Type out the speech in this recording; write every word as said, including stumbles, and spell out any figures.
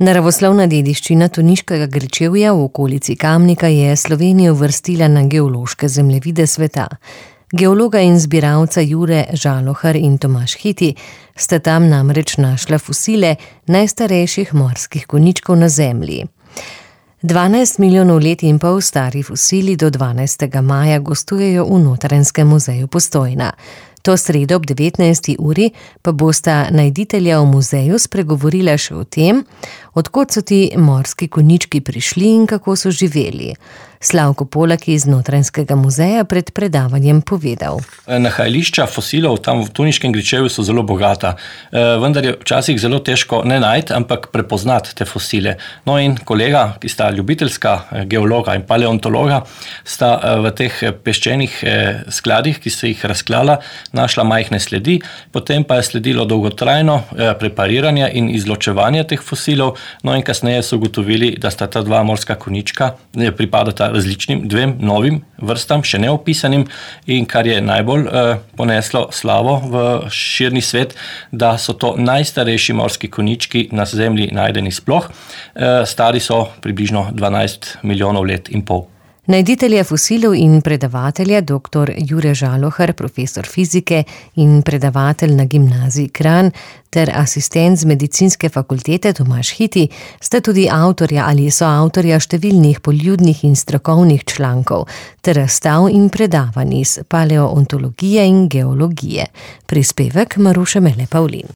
Naravoslovna dediščina Toniškega gričevja v okolici Kamnika je Slovenijo uvrstila na geološke zemljevide sveta. Geologa in zbiralca Jure Žalohar in Tomaž Hiti sta tam namreč našla fosile najstarejših morskih konjičkov na Zemlji. Dvanajst milijonov let in pol stari fosili do dvanajstega maja gostujejo v Notranjskem muzeju Postojna. To sredo ob devetnajsti uri pa bosta najditelja v muzeju spregovorila še o tem, od kod so ti morski konjički prišli in kako so živeli. Slavko Polak iz Notranjskega muzeja pred predavanjem povedal. Nahajališča fosilov tam v Toniškem gričevju so zelo bogata, vendar je včasih zelo težko ne najti, ampak prepoznati te fosile. No in kolega, ki sta ljubiteljska geologa in paleontologa, sta v teh peščenih skladih, ki se jih razklala, našla majhne sledi, potem pa je sledilo dolgotrajno prepariranje in izločevanje teh fosilov, no in kasneje so ugotovili, da sta ta dva morska konjička pripadata različnim dvem novim vrstam, še neopisanim, in kar je najbolj eh, poneslo slavo v širni svet, da so to najstarejši morski konjički na Zemlji najdeni sploh. Eh, stari so približno dvanajst milijonov let in pol. Najditelja fosilov in predavatelja doktor Jure Žalohar, profesor fizike in predavatelj na gimnaziji Kranj ter asistent z medicinske fakultete Tomaž Hiti sta tudi avtorja ali soavtorja številnih poljudnih in strokovnih člankov ter razstav in predavanj iz paleoontologije in geologije. Prispevek Maruše Mele Pavlin.